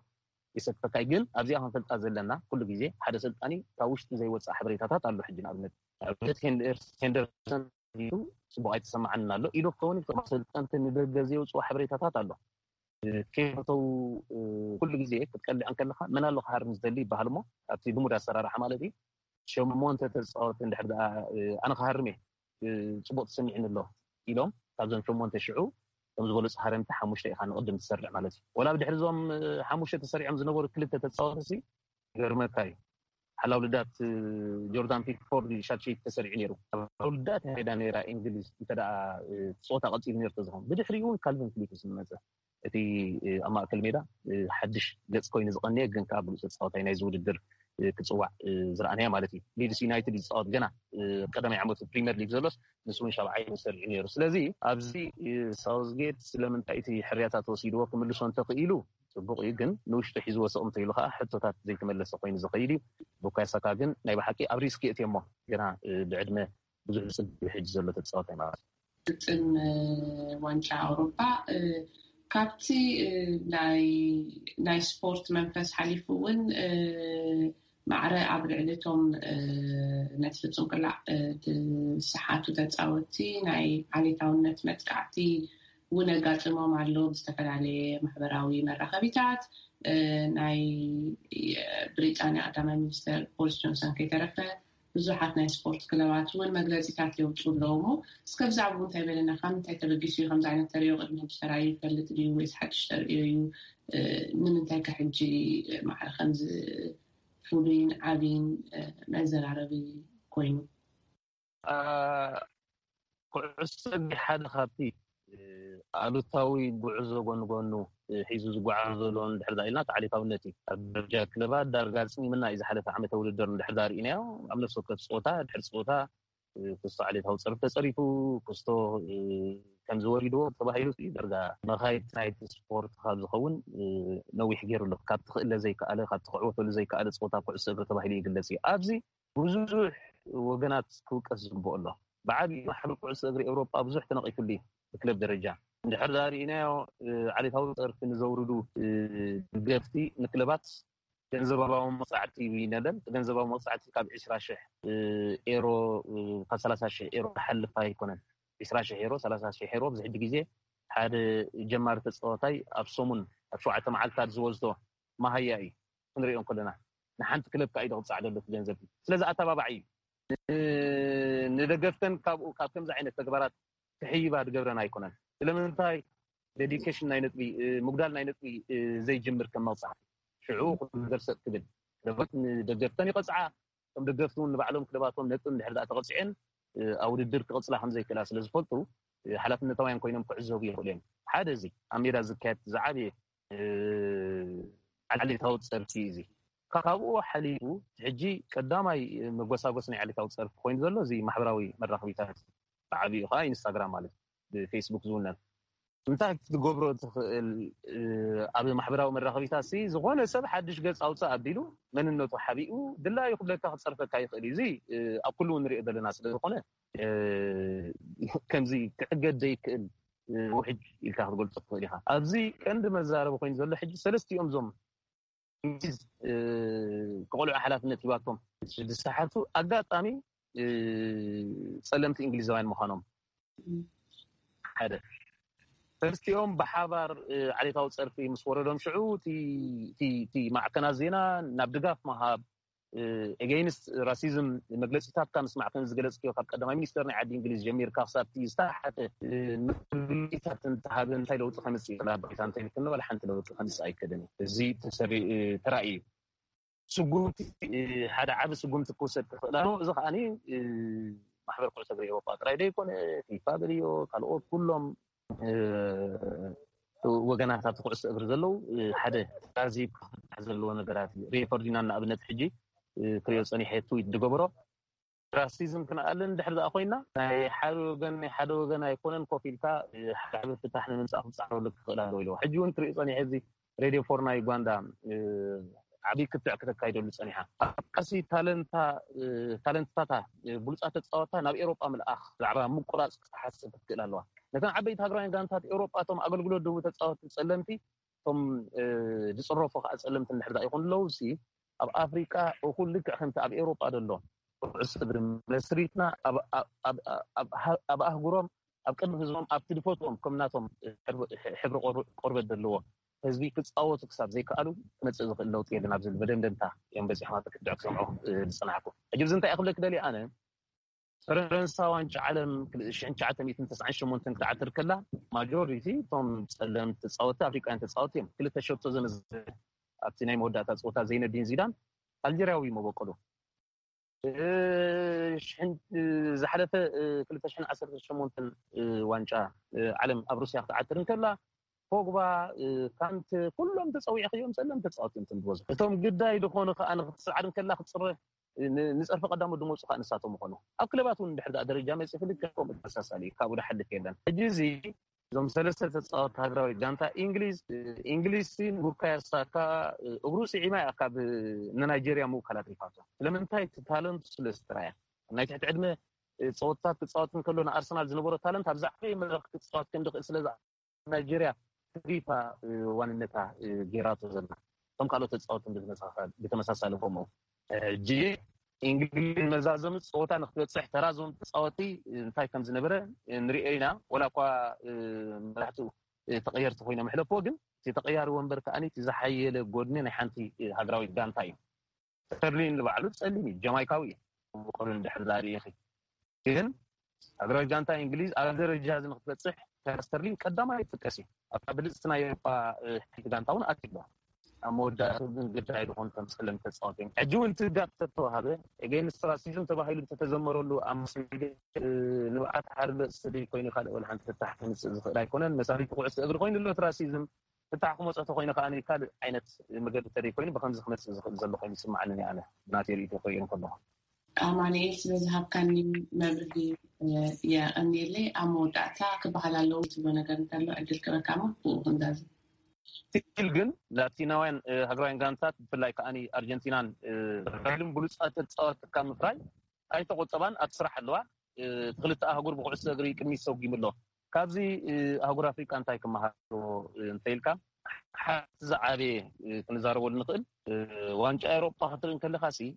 ይሰክፈካ እዩ። ግን ኣብዚኣ ክንፈልጣ ዘለና ኩሉ ግዜ ሓደ ሰልጣኒ ካብ ውሽጢ ዘይወፅእ ሓበሬታታት ኣሎ። ሕጂ ንኣብነት ንኣብነት ሄንደርሰን ጽቡቕ ኣይተሰማዓንን ኣሎ ኢሉ ክኸውን ይኽእል። ሰልጠንቲ ንደገ ዘውፅኡ ሓበሬታታት ኣሎ። ከይፈተው ኩሉ ግዜ ክትቀልዕ እንከለኻ መን ኣሎ ክሃርም ዝደሊ ይበሃል እሞ ኣብቲ ልሙድ ኣሰራርሓ ማለት እዩ። ሸሞንተ ተፃወቲ እንድሕር ደኣ ኣነ ክሃርም እየ ጽቡቕ ተሰሚዕኒ ኣሎ ኢሎም ካብዞም ሸሞንተ ሽዑ ከም ዝበለፁ ሃረምቲ ሓሙሽተ ኢኻ ንቕድም ትሰርዕ ማለት እዩ። ወላ ብድሕሪ እዞም ሓሙሽተ ተሰሪዖም ዝነበሩ ክልተ ተፃወቲ ሲ ይገርመካ እዩ። ሓላው ልዳት ጆርዳን ፒክፎርድ ሻትሸይት ተሰሪዑ ነይሩ። ሓላው ልዳት ሄዳ ነይራ እንግሊዝ እንተ ደኣ ፆታ ቀፂሉ ነይሩ ተዝኾን። ብድሕሪኡ እውን ካልቪን ፊሊፕስ ዝመፀ እቲ ኣብ ማእከል ሜዳ ሓድሽ ገፅ ኮይኑ ዝቐንየ ግን ከዓ ብሉፅ ተፃዋታይ ናይዚ ውድድር ክፅዋዕ ዝረኣናያ ማለት እዩ። ሊድስ ዩናይትድ ይፃወት ገና ቀዳማይ ዓመቱ ፕሪምየር ሊግ ዘሎስ ንሱ እውን ሻብዓይ ተሰሪዑ ነይሩ። ስለዚ ኣብዚ ሳውዝጌት ስለምንታይ እቲ ሕርያታት ወሲድዎ ክምልሶ እንተኽኢሉ ፅቡቕ እዩ፣ ግን ንውሽጡ ሒዝዎ ስቕ እንተኢሉ ከዓ ሕቶታት ዘይተመለሰ ኮይኑ ዝኸይድ እዩ። ቡካዮ ሳካ ግን ናይ ብሓቂ ኣብ ሪስክ የእትዮ እሞ ገና ብዕድመ ብዙሕ ዝፅበ ሕጂ ዘሎ ተፃዋታይ ማለት እዩ። ግጥም ዋንጫ ኣውሮፓ ካብቲ ናይ ስፖርት መንፈስ ሓሊፉ እውን ማዕረ ኣብ ልዕሊ እቶም ነቲ ፍጹም ቅላዕ ዝሰሓቱ ተጻወትቲ ናይ ዓሌታውነት መጥቃዕቲ እውን ኣጋጥሞም ኣሎ። ብዝተፈላለየ ማሕበራዊ መራኸቢታት ናይ ብሪጣንያ ቀዳማይ ሚኒስተር ቦሪስ ጆንሰን ከይተረፈ ብዙሓት ናይ ስፖርት ክለባት እውን መግለፂታት የውፅኡ ኣለዉ። እሞ እስከ ብዛዕባኡ እንታይ በለና? ካብ ምንታይ ተበጊሱ እዩ ከምዚ ዓይነት ተርእዮ ቅድሚ ሕጂ ተራእዩ ይፈልጥ ድዩ ወይስ ሓድሽ ተርእዮ እዩ? ንምንታይ ከ ሕጂ ማዕረ ከምዚ ፍሉይን ዓብይን መዘራረቢ ኮይኑ? ኩዕሶ እግሪ ሓደ ካብቲ ኣሉታዊ ጉዕዞ ጎኒ ጎኑ ሒዙ ዝጓዓዝ ዘሎ እንድሕር ዳኣ ኢልና ተዓሊታውነት እዩ። ኣብ ደረጃ ክለባት ዳርጋ ኣፅሚምና እዩ ዝሓለፈ ዓመተ ውድድር እንድሕር ዳኣ ርኢናዮ። ኣብ ነፍሲ ወከፍ ፀወታ ድሕሪ ፀወታ ክስቶ ዓሌታዊ ፀርፊ ተፀሪፉ ክስቶ ከምዚ ወሪድዎ ተባሂሉ ዳርጋ መኻይት ናይቲ ስፖርት ካብ ዝኸውን ነዊሕ ገይሩ ኣሎ። ካብቲ ክእለ ዘይከኣለ ካብቲ ክዕወተሉ ዘይከኣለ ፀወታ ኩዕሶ እግሪ ተባሂሉ ይግለፅ እዩ። ኣብዚ ብዙሕ ወገናት ክውቀስ ዝግብኦ ኣሎ። ብዓብዪ ማሕበር ኩዕሶ እግሪ ኤውሮጳ ብዙሕ ተነቒፉሉ እዩ። ብክለብ ደረጃ እንድሕር ዳኣ ርኢናዮ ዓሌታዊ ፀርፊ ንዘውርዱ ደገፍቲ ንክለባት ገንዘባዊ መቕፃዕቲ ይነደል። ገንዘባዊ መቕፃዕቲ ካብ ዕስራ ሽሕ ኤሮ ካብ ሰላሳ ሽሕ ኤሮ ዝሓልፍ ኣይኮነን። ዕስራ ሽሕ ኤሮ፣ ሰላሳ ሽሕ ኤሮ ኣብዚ ሕጂ ግዜ ሓደ ጀማሪ ተፃዋታይ ኣብ ሰሙን ኣብ ሸውዓተ መዓልታት ዝወስዶ መሃያ እዩ። ክንሪኦ ከለና ንሓንቲ ክለብ ከዓ እዩ ዘቕፃዕ ዘሎ እቲ ገንዘብ። ስለዚ ኣተባባዒ እዩ። ንደገፍተን ካብኡ ካብ ከምዚ ዓይነት ተግባራት ክሕይባ ዝገብረን ኣይኮነን። ስለምንታይ ዴዲኬሽን ናይ ነጥቢ ምጉዳል ናይ ነጥቢ ዘይጅምር ከም መቕፃዕቲ ሽዑ ኩሉ ነገር ሰጥ ክብል ክለባት ንደገፍተን ይቐፅዓ። ከም ደገፍቲ እውን ንባዕሎም ክለባቶም ነጥቢ እንድሕር ዳኣ ተቐፂዐን ኣብ ውድድር ክቐፅላ ከም ዘይክእላ ስለ ዝፈልጡ ሓላፍነታውያን ኮይኖም ክዕዘቡ ይኽእሉ እዮም። ሓደ እዚ ኣብ ሜዳ ዝካየድ ዝዓበየ ዓሌታዊ ፀርፊ እዩ። እዚ ካብኡ ሓሊፉ ሕጂ ቀዳማይ መጎሳጎስ ናይ ዓሌታዊ ፀርፊ ኮይኑ ዘሎ እዚ ማሕበራዊ መራኸቢታት፣ ብዓብኡ ከዓ ኢንስታግራም ማለት ብፌስቡክ ዝውነን እንታይ ክትገብሮ ትኽእል? ኣብ ማሕበራዊ መራኸቢታት ሲ ዝኾነ ሰብ ሓድሽ ገፅ ኣውፅእ ኣቢሉ መንነቱ ሓቢኡ ድላዩ ክብለካ ክፀርፈካ ይኽእል እዩ። እዚ ኣብ ኩሉ ንሪኦ ዘለና ስለዝኾነ ከምዚ ክዕገድ ዘይክእል ውሕጅ ኢልካ ክትገልፆ ትኽእል ኢኻ። ኣብዚ ቀንዲ መዛረቢ ኮይኑ ዘሎ ሕጂ ሰለስቲኦም እዞም ክቆልዑ ሓላፍነት ሂባቶም ዝሰሓቱ ኣጋጣሚ ፀለምቲ እንግሊዛውያን ምዃኖም ሓደ ሰለስቲኦም ብሓባር ዓሌታዊ ፀርፊ ምስ ወረዶም ሽዑ እቲ ማዕከናት ዜና ናብ ድጋፍ ምሃብ ኤገይንስት ራሲዝም መግለፂታትካ ምስማዕ ከም ዝገለፅክዮ ካብ ቀዳማይ ሚኒስተር ናይ ዓዲ እንግሊዝ ጀሚርካ ክሳብ እቲ ዝተሓተ መግለፂታት እንተሃበ እንታይ ለውጢ ከምፅእ ይኽእል ኣባይታ እንተይልክኒ ዋላ ሓንቲ ለውጢ ከምፅእ ኣይክእልን እዩ። እዚ ተራእዩ ስጉምቲ ሓደ ዓቢ ስጉምቲ ክውሰድ ክኽእል ኣለዎ። እዚ ከዓኒ ማሕበር ኩዕሶ እግሪ ኤውሮጳ ጥራይ ዘይኮነ ፊፋ በልዮ ካልኦት ኩሎም ወገናት ኣብቲ ኩዕሶ እግሪ ዘለዉ ሓደ ተዛዚብ ክፍታሕ ዘለዎ ነገራት እዩ። ሪዮ ፈርዲናንድ ንኣብነት ሕጂ ክሪኦ ጸኒሐ ትዊት ዝገበሮ ራሲዝም ክንኣልን ድሕሪ ዝኣ ኮይና ናይ ሓደ ወገን ናይ ሓደ ወገን ኣይኮነን ኮፍ ኢልካ ሓደ ዓቢ ፍታሕ ንምምፃእ ክፃዕረሉ ክኽእል ኣለዎ ኢለዎ። ሕጂ እውን ክሪኦ ጸኒሐ እዚ ሬድዮ ፎርና ዩጋንዳ ዓብዪ ክትዕ ክተካይደሉ ፀኒሓ። ኣብ ቀሲ ታለንታታ ብሉፃት ተፃወታ ናብ ኤሮጳ ምልኣኽ ብዛዕባ ምቁራፅ ክትሓስብ ክትክእል ኣለዋ። ነተን ዓበይቲ ሃገራውያን ጋንታት ኤሮጳ እቶም ኣገልግሎት ድህቡ ተፃወቲ ፀለምቲ እቶም ዝፅረፉ ከዓ ፀለምቲ እንድሕር ይኾኑ ኣለዉ ሲ ኣብ ኣፍሪቃ እኹል ልክዕ ከምቲ ኣብ ኤሮጳ ዘሎ ኩዕሶ እግሪ መስሪትና ኣብ ኣህጉሮም ኣብ ቅድሚ ህዝቦም ኣብቲ ድፈትዎም ከም ናቶም ሕብሪ ቆርበት ዘለዎ ህዝቢ ክፃወቱ ክሳብ ዘይከኣሉ ክመፅእ ዝኽእል ለውጢ የለን ኣብ ዝብል መደምደምታ እዮም በፂሖም ኣብ ክትዕ ክሰምዖ ዝፀናሕኩ። ሕጂ እዚ እንታይ ክብለክ ደልየ ኣነ ፈረንሳ ዋንጫ ዓለም ሽሕን ትሽዓተ ሚእትን ተስዓን ሸሞንተን ክትዓትር ከላ ማጆሪቲ እቶም ፀለምቲ ተፃወቲ ኣፍሪቃውያን ተፃወቲ እዮም። ክልተ ሸቶ ዘመዘ ኣብቲ ናይ መወዳእታ ፀወታ ዘይነዲን ዚዳን ኣልጀርያዊ መበቆሉ ዝሓለፈ ክልተ ሽሕን ዓሰርተ ሸሞንተን ዋንጫ ዓለም ኣብ ሩስያ ክትዓትር እንከላ ፖግባ ካንት ኩሎም ተፀዊዕክዮም ፀለምቲ ተፃወቲ እዮም ዝበዝሑ። እቶም ግዳይ ዝኾኑ ከዓ ንክትስዓር እንከላ ክትፅረ ንፀርፊ ቀዳሞት ዝመፁ ከዓ ንሳቶም ምኾኑ ኣብ ክለባት እውን ድሕር ደረጃ መፅእ ፍልክ ከምኡ ተመሳሳሊ እዩ። ካብኡ ድሓልፍ የለን። ሕጂ እዚ እዞም ሰለስተ ተፃወቲ ሃገራዊ ጋንታ እንግሊዝ እንግሊዝ ሲ ንቡካዮ ሳካ እግሩ ስዒማ እያ ካብ ንናይጀርያ ምውካል ኣትሪፋቶ። ስለምንታይ እቲ ታለንቱ ስለ ዝተራያ ናይ ትሕቲ ዕድመ ፀወታት ክፃወት እንከሎ ንኣርሰናል ዝነበሮ ታለንት ኣብ ዝዓበየ መድረክ ክፃወት ከም ዝኽእል ስለ ናይጀርያ ትሪፋ ዋንነታ ጌራቶ ዘላ እቶም ካልኦት ተፃወትን ብተመሳሳሊ ከምኡ ሕጂ እንግሊዝ መዛዘሚ ፀወታ ንክትበፅሕ ተራ ዞም ተፃወቲ እንታይ ከም ዝነበረ ንሪኦ ኢና። ወላ እኳ መራሕቱ ተቀየርቲ ኮይኖም ሕለፎ ግን እቲ ተቀያሪ ወንበር ከዓኒ እቲ ዝሓየለ ጎድኒ ናይ ሓንቲ ሃገራዊት ጋንታ እዩ። ስተርሊን ንባዕሉ ፀሊም እዩ፣ ጀማይካዊ እዩ። ብቆሉ እንድሕር ዳርኢኺ ግን ሃገራዊት ጋንታ እንግሊዝ ኣብ ደረጃ እዚ ንክትበፅሕ ተራ ስተርሊን ቀዳማይ ይጥቀስ እዩ። ኣብታ ብልፅቲ ናይ ኤሮፓ ሓንቲ ጋንታ እውን ኣትሎ ኣብ መወዳእታ ግን ግዳይ ዝኾኑ ከም ፀለምቲ ተፃወቲ እዮም። ሕጂ እውን ትጋብ ተተዋሃበ ኤገይንስት ራሲዝም ተባሂሉ እንተተዘመረሉ ኣብ ንብዓት ሓርበ ስዲ ኮይኑ ካልእ ወላ ሓንቲ ፍታሕ ከምፅእ ዝኽእል ኣይኮነን። መሳሪት ኩዕሶ እግሪ ኮይኑ ኣሎ ራሲዝም ፍታሕ ክመፆ ተኮይኑ ከዓ ካልእ ዓይነት መገዲ ተደይ ኮይኑ ብከምዚ ክመፅእ ዝኽእል ዘሎ ኮይኑ ይስማዓኒ ኣነ ብናተይ ርእይቶ ክርእዮ ከለኹ። ኣማኑኤል ስለ ዝሃብካኒ መብርሂ የቐንየለይ። ኣብ መወዳእታ ክበሃል ኣለዎ ትብሎ ነገር እንተሎ ዕድል ክበካ ሞ ብኡ ክንዛዝም። ትክክል ግን ላቲናውያን ሃገራውያን ጋንታት ብፍላይ ከዓ ኣርጀንቲናን ብራዚልን ብሉፃት ተፃወትካ ምፍራይ ኣይተቆጠባን ኣብቲ ስራሕ ኣለዋ። እቲ ክልተ ኣህጉር ብኩዕሶ እግሪ ቅድሚት ሰጒሙ ኣሎ። ካብዚ ኣህጉር ኣፍሪቃ እንታይ ክመሃር እንተኢልካ ሓንቲ ዝዓበየ ክንዛረበሉ ንኽእል ዋንጫ ኤሮጳ ክትርኢ እንከለካ ሲ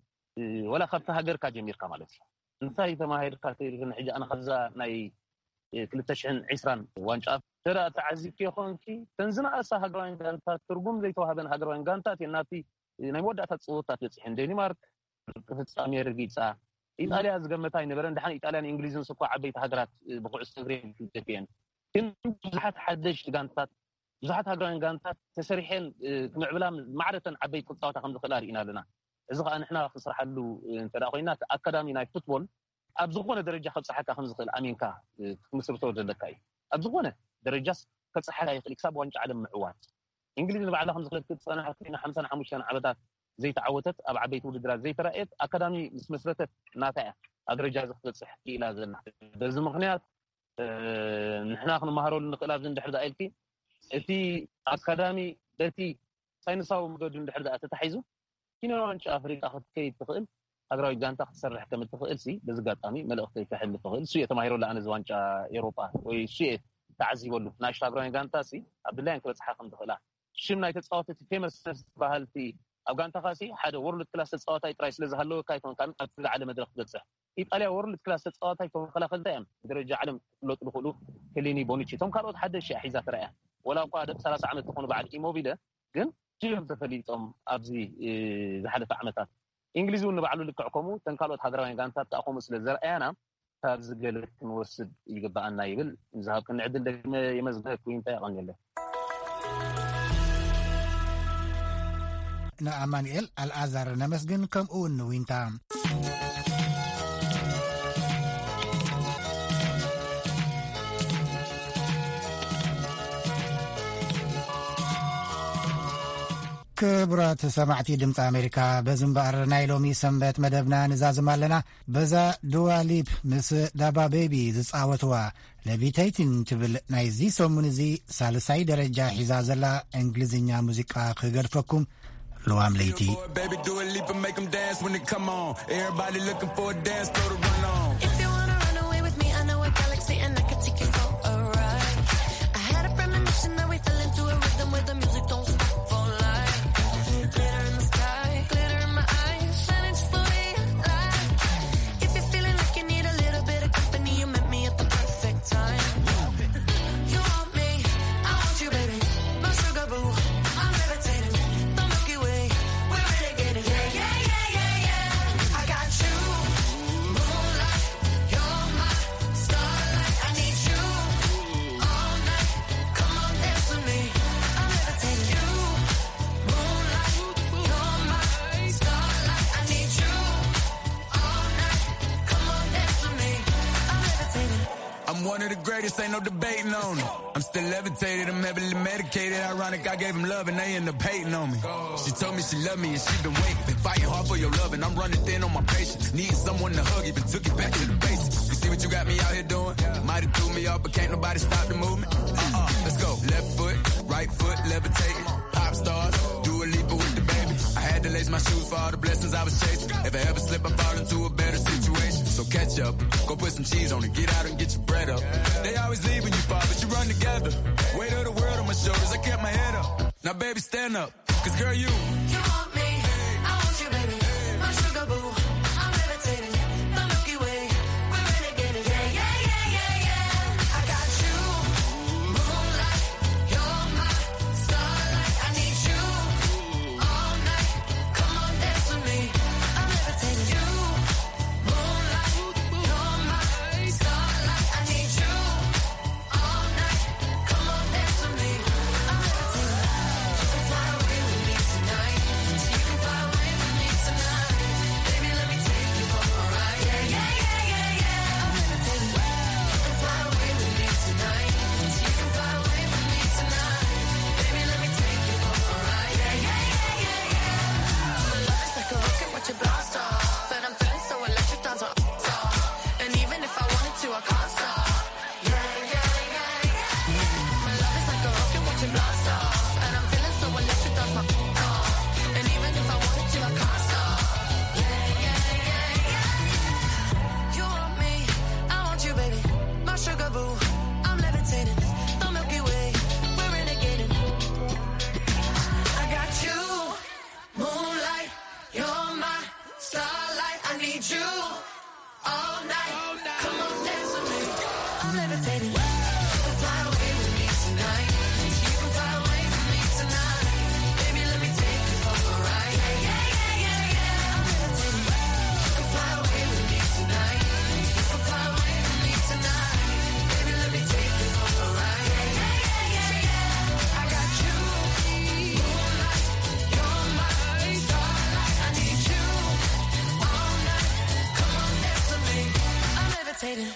ወላ ካብቲ ሃገርካ ጀሚርካ ማለት እዩ እንታይ ተማሂርካ ተይልክን ሕጂ ኣነ ካብዛ ናይ ክልተ ሽሕን ዕስራን ዋንጫ ተራ ተዓዚብኪ ይኾንኪ ተን ዝነኣሳ ሃገራውያን ጋንታት ትርጉም ዘይተዋህበን ሃገራውያን ጋንታት እየን ናብቲ ናይ መወዳእታ ፅወታት በፂሐን ዴንማርክ ፍፃሜ ረጊፃ ኢጣልያ ዝገመታ ኣይነበረን። ድሓን ኢጣልያን እንግሊዝን ስኳ ዓበይቲ ሃገራት ብኩዕሶ እግሪ ደፊአን ግን ብዙሓት ሓደሽቲ ጋንታት ብዙሓት ሃገራውያን ጋንታት ተሰሪሐን ክምዕብላ ማዕረተን ዓበይቲ ክፃወታ ከም ዝኽእላ ርኢና ኣለና። እዚ ከዓ ንሕና ክስርሓሉ እንተ ኮይና ኣካዳሚ ናይ ፉትቦል ኣብ ዝኾነ ደረጃ ከብፅሓካ ከም ዝኽእል ኣሚንካ ክትምስርቶ ዘለካ እዩ። ኣብ ዝኾነ ደረጃስ ከብፅሓካ ይኽእል ክሳብ ዋንጫ ዓለም ምዕዋት እንግሊዝ ንባዕላ ከም ዝኽለት ክትፀናሕ ኮይና ሓምሳን ሓሙሽተን ዓመታት ዘይተዓወተት፣ ኣብ ዓበይቲ ውድድራት ዘይተራእየት ኣካዳሚ ምስ መስረተት ናታ እያ ኣብ ደረጃ እዚ ክትበፅሕ ክኢላ ዘላ። በዚ ምክንያት ንሕና ክንመሃረሉ ንኽእል ኣብዚ እንድሕር ዳኣ ኢልኪ፣ እቲ ኣካዳሚ በቲ ሳይንሳዊ መገዱ እንድሕር ዳኣ ተታሒዙ፣ ኪኖ ዋንጫ ኣፍሪቃ ክትከይድ ትኽእል ሃገራዊት ጋንታ ክትሰርሕ ከም እትኽእል ሲ በዚ ኣጋጣሚ መልእኽተይ ከሕልፍ እኽእል። እሱ እየ ተማሂረሉ ኣነ እዚ ዋንጫ ኤውሮጳ ወይ እሱ እየ ተዓዚበሉ። ንኣሽቱ ሃገራውያን ጋንታ ሲ ኣብ ድላየን ክበጽሓ ከም ዝኽእላ፣ ሽም ናይ ተጻወትቲ ፌመስ በሃልቲ ኣብ ጋንታኻ ሲ ሓደ ወርልድ ክላስ ተጻዋታይ ጥራይ ስለ ዝሃለወካ ኣይኮንካን ኣብቲ ዝዓለ መድረኽ ትበጽሕ። ኢጣልያ ወርልድ ክላስ ተጻዋታይ ተኸላኸልታ እዮም ብደረጃ ዓለም ክፍለጡ ዝኽእሉ። ፌሊኒ፣ ቦኑቺ፣ እቶም ካልኦት ሓደሽ እያ ሒዛ ተራእያ። ወላ እኳ ደቂ ሰላሳ ዓመት ዝኾኑ በዓል ኢሞቢለ ግን እዮም ተፈሊጦም ኣብዚ ዝሓለፈ ዓመታት። እንግሊዝ እውን ንባዕሉ ልክዕ ከምኡ እተን ካልኦት ሃገራውያን ጋንታት ከኣ ከምኡ ስለ ዘርኣያና ካብዚ ገለ ክንወስድ ይግብኣና ይብል። ንዝሃብክኒ ዕድል ደግመ የመስግነኪ ዊንታ፣ የቐንየለይ። ንኣማኑኤል ኣልኣዛር ነመስግን፣ ከምኡ እውን ንዊንታ። ክቡራት ሰማዕቲ ድምፂ ኣሜሪካ፣ በዚ እምበኣር ናይ ሎሚ ሰንበት መደብና ንዛዝም ኣለና። በዛ ዱዋ ሊፕ ምስ ዳባ ቤቢ ዝጻወትዋ ሌቪቴቲን ትብል ናይዚ ሰሙን እዚ ሳልሳይ ደረጃ ሒዛ ዘላ እንግሊዝኛ ሙዚቃ ክገድፈኩም። ልዋም ለይቲ። Baby, do a leap and make 'em dance when it come on. Everybody looking for a dance, throw the run on. If you wanna run away with me, I know a galaxy and I can take you for a ride. I had a premonition that we fell into a rhythm where the music don't stop for life. Glitter in the sky, glitter in my eyes, shining just the way you lie. If you're feeling like you need a little bit of company, you met me at the perfect time. You want me, I want you, baby. My sugar boo, I'm levitating. The Milky Way, we're renegading. Yeah, yeah, yeah, yeah, yeah. I got you, moonlight. You're my starlight. I need you all night. Come on, dance with me. I'm levitating. You, moonlight. You're my starlight. I need you all night. Come on, dance with me. I'm levitating. I'm one of the greatest, ain't no debating on it. I'm still levitated, I'm heavily medicated. Ironic, I gave him love and they end up hating on me. She told me she loved me and she been waiting. Been fighting hard for your love and I'm running thin on my patience. Needing someone to hug, even took it back to the basics. You see what you got me out here doing? Might have threw me off, but can't nobody stop the movement. Uh-uh, let's go. Left foot, right foot, levitating. Pop stars, Dua Lipa with the baby. I had to lace my shoes for all the blessings I was chasing. If I ever slip, I fall into a better situation. So catch up, go put some cheese on it, get out and get your bread up. They always leave when you fall, but you run together. Weight of the world on my shoulders, I kept my head up. Now, baby, stand up, 'cause girl, you. You want me, I want you, baby. My sugar boo, I'm levitating. The Milky Way, we're renegading. Yeah, yeah, yeah, yeah, yeah. I got you, moonlight. You're my starlight. I need you all night. Come on, dance with me. I'm levitating. You, moonlight. You're my starlight. I need you all night. Come on, dance with me. I'm levitating. You can fly away with me tonight. You can fly away with me tonight. Baby, let me take you for a ride. Yeah, yeah, yeah, yeah, yeah. I'm levitating. You can fly away with me tonight. You can fly away with me tonight. Baby, let me take you for a ride. Yeah, yeah, yeah, yeah, yeah. My love is like a rocket, watch it blast off. And I'm feeling so electric, dance off. And even if I wanted to, I can't stop. Yeah, yeah, yeah, yeah. My love is like a rocket, watch it blast off. And I'm feeling so electric, that's my off. And even if I wanted to, I can't stop. Yeah, yeah, yeah, yeah. You want me, I want you, baby. My sugar boo, I'm levitating. The Milky Way, we're renegading. I got you, moonlight. You're my starlight. I need you all night. Come on, dance with me. I'm levitating. You can fly away with me tonight. You can fly away with me tonight. Baby, let me take you for a ride. Yeah, yeah, yeah, yeah, yeah. I'm levitating. You can fly away with me tonight. You can fly away with me tonight. Baby, let me take you for a ride. Yeah, yeah, yeah, yeah, yeah. I got you. Moonlight, you're my starlight. I need you all night. Come on, dance with me. I'm levitating.